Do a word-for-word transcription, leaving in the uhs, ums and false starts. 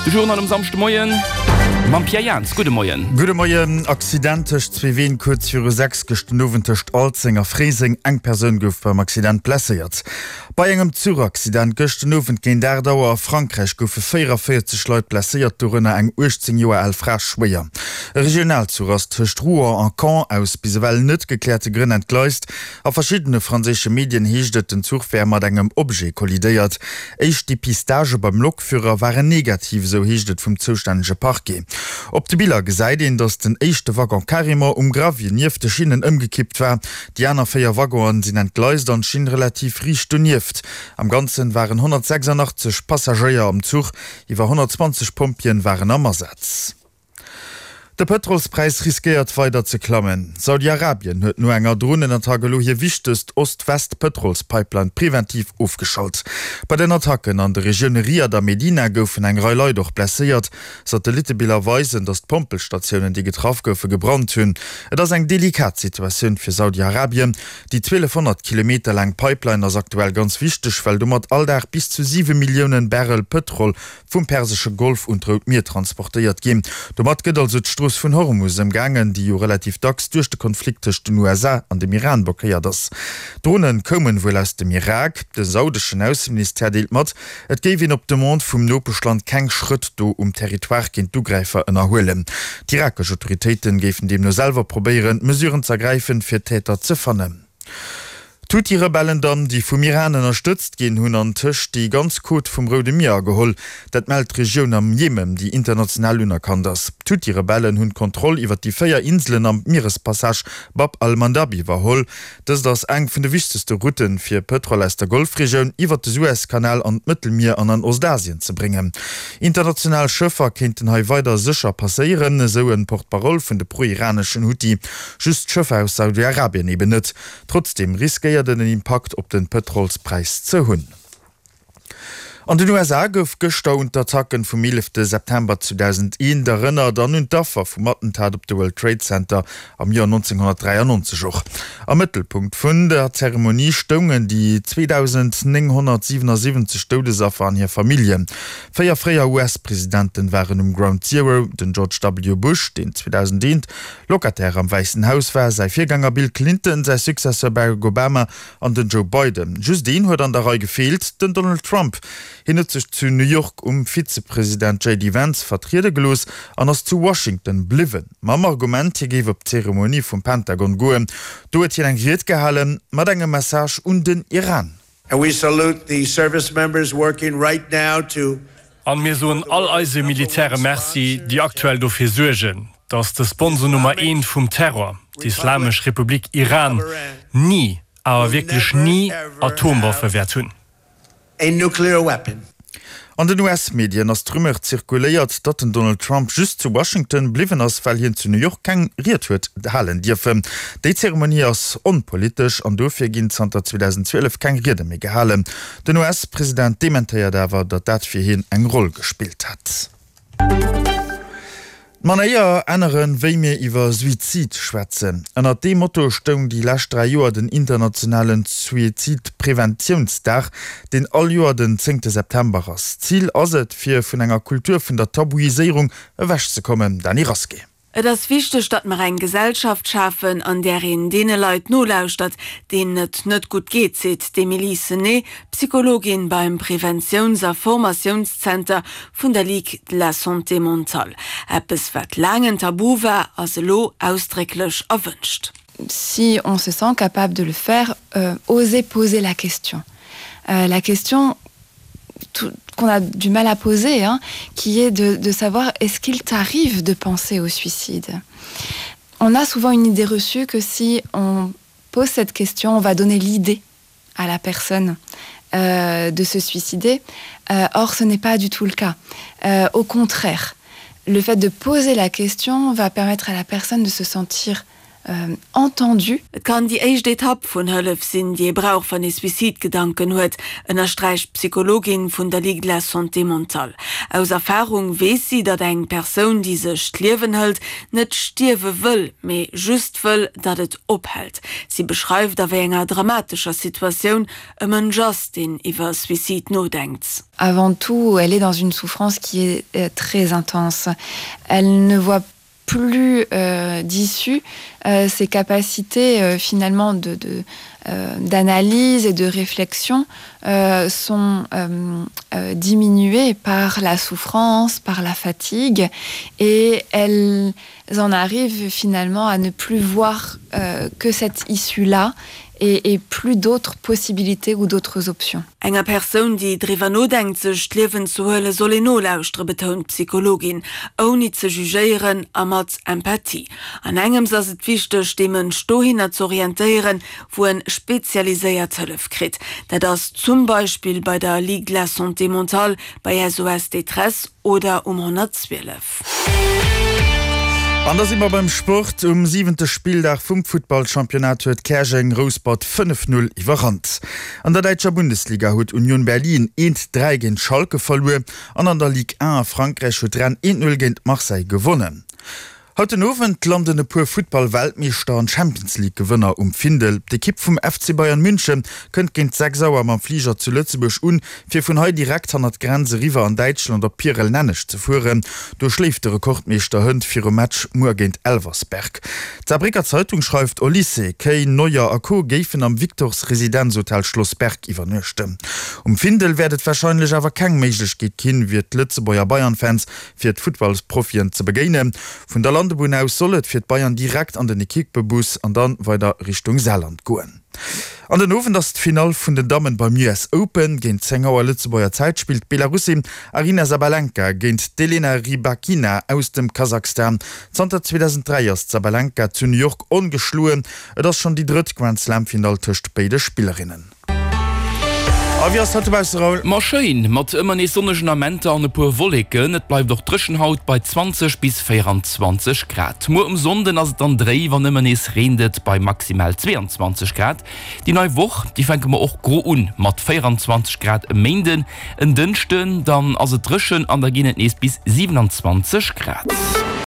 De Journal um Samschdemoien mam Pierre Jans. Gudde Moien. Gudde Moien. Accident tëscht zwee Ween kuerz viru sechs gëschten Owend tëscht Alzeng a Fréiseng. Eng Persoun gouf beim Accident blesséiert. Bei engem Zuchaccident gëschten Owend géint aacht Auer a Frankräich goufe véierundavéierzeg Leit blesséiert, dorënner eng uechtzéng Joer al Fra schwéier. E Regionalzuch ass tëscht Rouen a Caen aus bis ewell net gekläerte Grënn entgleist. A verschiddene franséische Medien heescht et, den Zuch wär mat engem Objet kollidéiert. Éischt Depistagë beim Lokführer waren negativ, esou heescht et vum zoustännege Parquet. Op de Biller gesäit een, datt den éischte Waggon carrément um Gravier nieft de Schinnen ëmgekippt war. Déi aner véier Waggonen sinn entgleist an d'Schinn relativ riicht donieft. Am Ganzen waren honnertsechsundachtzeg Passagéier am Zuch, iwwer honnertzwanzeg Pompjeeën waren am Asaz. De Pëtrolspräis riskéiert weider ze klammen. Saudi-Arabien huet no enger Dronenattack elo hir wichtegst Ost-West-Pëtrolspipeline preventiv ofgeschalt. Bei den Attacken an de Regioune Riad a Medina goufen eng Rei Leit och blesséiert. Satellittebiller weisen, datt d'Pompelstatiounen, déi getraff goufen, gebrannt hunn. Et ass eng delikat Situatioun fir Saudi-Arabien. Déi zwielefhonnert Kilometer laang Pipeline ass aktuell ganz wichteg, well domat all Dag bis zu siwe Millioune Barrel Pëtrol vum persesche Golf un d'Rout Mier transportéiert ginn. Domat gëtt also d'Strooss vun Hormus ëmgaangen, déi jo relativ dacks duerch de Konflikt tëscht den U S A an dem Iran blockéiert ass. D'Drone koumen wuel aus dem Irak. De saudeschen Ausseministère deelt mat, et géif een op Demande vum Nopeschland keng Schrëtt do um Territoire géint d'Ugräifer ënnerhuelen. D'irakesch Autoritéite géifen deemno selwer probéieren, Mesuren z'ergräifen, fir d'Täter ze fannen. D'Huthi-Rebellen dann, déi vum Iran ënnerstëtzt ginn, hunn an tëscht déi ganz Côte vum Roude Mier ageholl. Dat mellt d'Regioun am Jemen, déi international unerkannt ass. D'Huthi-Rebellen hunn d'Kontroll iwwer déi véier Inselen am Mierespassage Bab al-Mandab iwwerholl. Dëst ass eng vun de wichtegste Routen, fir Pëtrol aus der Golfregioun iwwer de Suezkanal an d'Mëttelmier an an Ostasien ze bréngen. International Schëffer kéinten hei weider sécher passéieren, esou e Porte-parole vun de pro-iraneschen Huthi. Just d'Schëffer aus Saudi-Arabien eben net. Trotzdeem riskéiert en en Impakt op den Pëtrolspräis ze hunn. An den U S A gouf gëschter un d'Attacken vum eelefte September zweedausendeent erënnert an un d'Affer vum Attentat op de World Trade Center am Joer nonzénghonnertdräiannonzeg och. Am Mëttelpunkt vun der Zeremonie stoungen déi zweedausendnénghonnertsiwenasiwwenzeg Doudesaffer an hir Familljen. Véier fréier U S-Presidenten waren um Ground Zero, den George W. Bush, deen zweedausendeent Locataire am Wäissen Haus war, säi Virgänger Bill Clinton, säi Successeur Barack Obama an den Joe Biden. Just een huet an der Rei gefeelt, den Donald Trump. Hien huet sech zu New York um Vizepresident J D Vance vertriede gelooss an ass zu Washington bliwwen, mam Argument, hie géif op d'Zeremonie vum Pentagon goen. Do huet hien eng Ried gehalen, mat engem Message un den Iran. And we salute the service members working right now to An mir soen all eise Militäre Merci, déi aktuell dofir suergen, dass de Sponsor Nummer eent vum Terror, d'Islamesch Republik Iran, ni, awer wierklech ni Atomwaffe wäert hunn. a nuclear weapon. An den U S-Medien ass d'Rumeur zirkuléiert, datt den Donald Trump just zu Washington bliwwen ass, well hien zu New York keng Ried huet halen dierfen. Déi Zeremonie ass onpolitesch an dofir ginn zanter zweedausendzwielef keng Riede méi gehalen. Den U S-President dementéiert awer, datt dat fir hien eng Roll gespillt hätt. D'Manéier änneren, wéi mir iwwer Suizid schwätzen. Ënnert deem Motto stoung déi lescht dräi Joer den internationalen Suizidpreventiounsdag, deen all Joer den zéngte September ass. Zil ass et, fir vun enger Kultur vun der Tabuiséierung ewechzekommen. Dany Rasqué. Et ass wichteg, datt mer eng Gesellschaft schafen, an där een deene Leit nolauschtert, deenen et net gutt geet, seet d'Emilie Sené, Psychologin beim Preventiouns a Formatiounszenter vun der Ligue de la Santé Mentale. Eppes, wat laang en Tabu war, ass elo ausdrécklech erwënscht. Si on se sent capable de le faire, euh, oser poser la question. Euh, la question qu'on a du mal à poser, hein, qui est de, de savoir est-ce qu'il t'arrive de penser au suicide. On a souvent une idée reçue que si on pose cette question, on va donner l'idée à la personne euh, de se suicider. Euh, or, ce n'est pas du tout le cas. Euh, au contraire, le fait de poser la question va permettre à la personne de se sentir euh, entendu. Et kann déi éischt Etapp vun Hëllef sinn, déi ee brauch, wann ee Suizidgedanken huet, ënnersträicht d'Psychologin vun der Ligue de la Santé Mentale. Aus Erfarung weess si, datt eng Persoun, déi sech d'Liewen hëlt, net stierwe wëll, mee just wëll, datt et ophält. Si beschreift, a wéi enger dramatescher Situatioun e Mënsch ass, deen iwwer Suicide nodenkt. Avant tout, elle est dans une souffrance qui est euh, très intense. Elle ne voit plus euh, d'issue euh, ses capacités euh, finalement de, de, euh, d'analyse et de réflexion euh, sont euh, euh, diminuées par la souffrance, par la fatigue et elles en arrivent finalement à ne plus voir euh, que cette issue-là et, et plus d'autres possibilités ou d'autres options. Enger Persoun, déi driwwer nodenkt, sech d'Liewen ze huelen, soll een nolauschtere, betount d'Psychologin, ouni ze jugéieren a mat Empathie. An engems ass et wichteg, dee Mënsch dohinner z'orientéieren, wou en spezialiséiert Hëllef kritt. Dat ass zum Beispill bei der Ligue de la Santé Mentale, bei S O S Détresse oder um honnertzwielef. An da si mer beim Sport. Um siwente Spilldag vum Futtballchampionnat huet Käerjeng Rouspert fënnef Null iwwerrannt. An der däitscher Bundesliga huet Union Berlin eent Dräi géint Schalke verluer an an der Ligue un a Frankräich huet Rennes eent Null géint Marseille gewonnen. Haut den Owend landen e puer Futtball-Weltmeeschter an Champions-League-Gewënner um Findel. D'Ekipp vum F C Bayern München kënnt géint sechs Auer mam Fliger zu Lëtzebuerg un, fir vun hei direkt hannert d'Grenz eriwwer an Däitschland op Pierel-Nenneg ze fueren. Do schléift de Rekordmeeschter hënt virum Match muer géint Elversberg. D'Saarbrécker Zeitung schreift, Olise, Kane, Neuer a Co. Géifen am Victors Residenzhotel Schloss Berg iwwernuechten. Um Findel wäert et warscheinlech awer keng Méiglechkeet ginn, fir d'Lëtzebuerger Bayern-Fans fir d'Futtballsprofien ze begéinen. Vun der Landebunn aus soll et fir d'Bayern direkt an den Ekippebus an dann weider Richtung Saarland goen. An den Owend ass d'Finall vun den Dammen beim U S Open. Géint zéng Auer Lëtzebuerger Zäit spillt d'Belarussin Aryna Sabalenka géint d'Elena Rybakina aus dem Kasachstan. Zanter zweedausenddräi ass d'Sabalenka zu New York ongeschloen. Et ass schonn déi drëtt Grand-Slam-Finall tëscht béide Spillerinnen. A wéi ass dat dobausse, Raoul? Ma schéin, mat ëmmer nees sonnegen Amenter an e puer Wolleken. Et bleift och dréchen haut bei zwanzeg bis véieranzwanzeg Grad. Muer um Sonnden ass et dann dréif an ëmmer nees reent et bei maximal zweeanzwanzeg Grad. Déi nei Woch, déi fänke mer och gro un mat véieranzwanzeg Grad e Méinden. En Dënschden dann ass et dréchen an da ginn et nees bis siwenanzwanzeg Grad.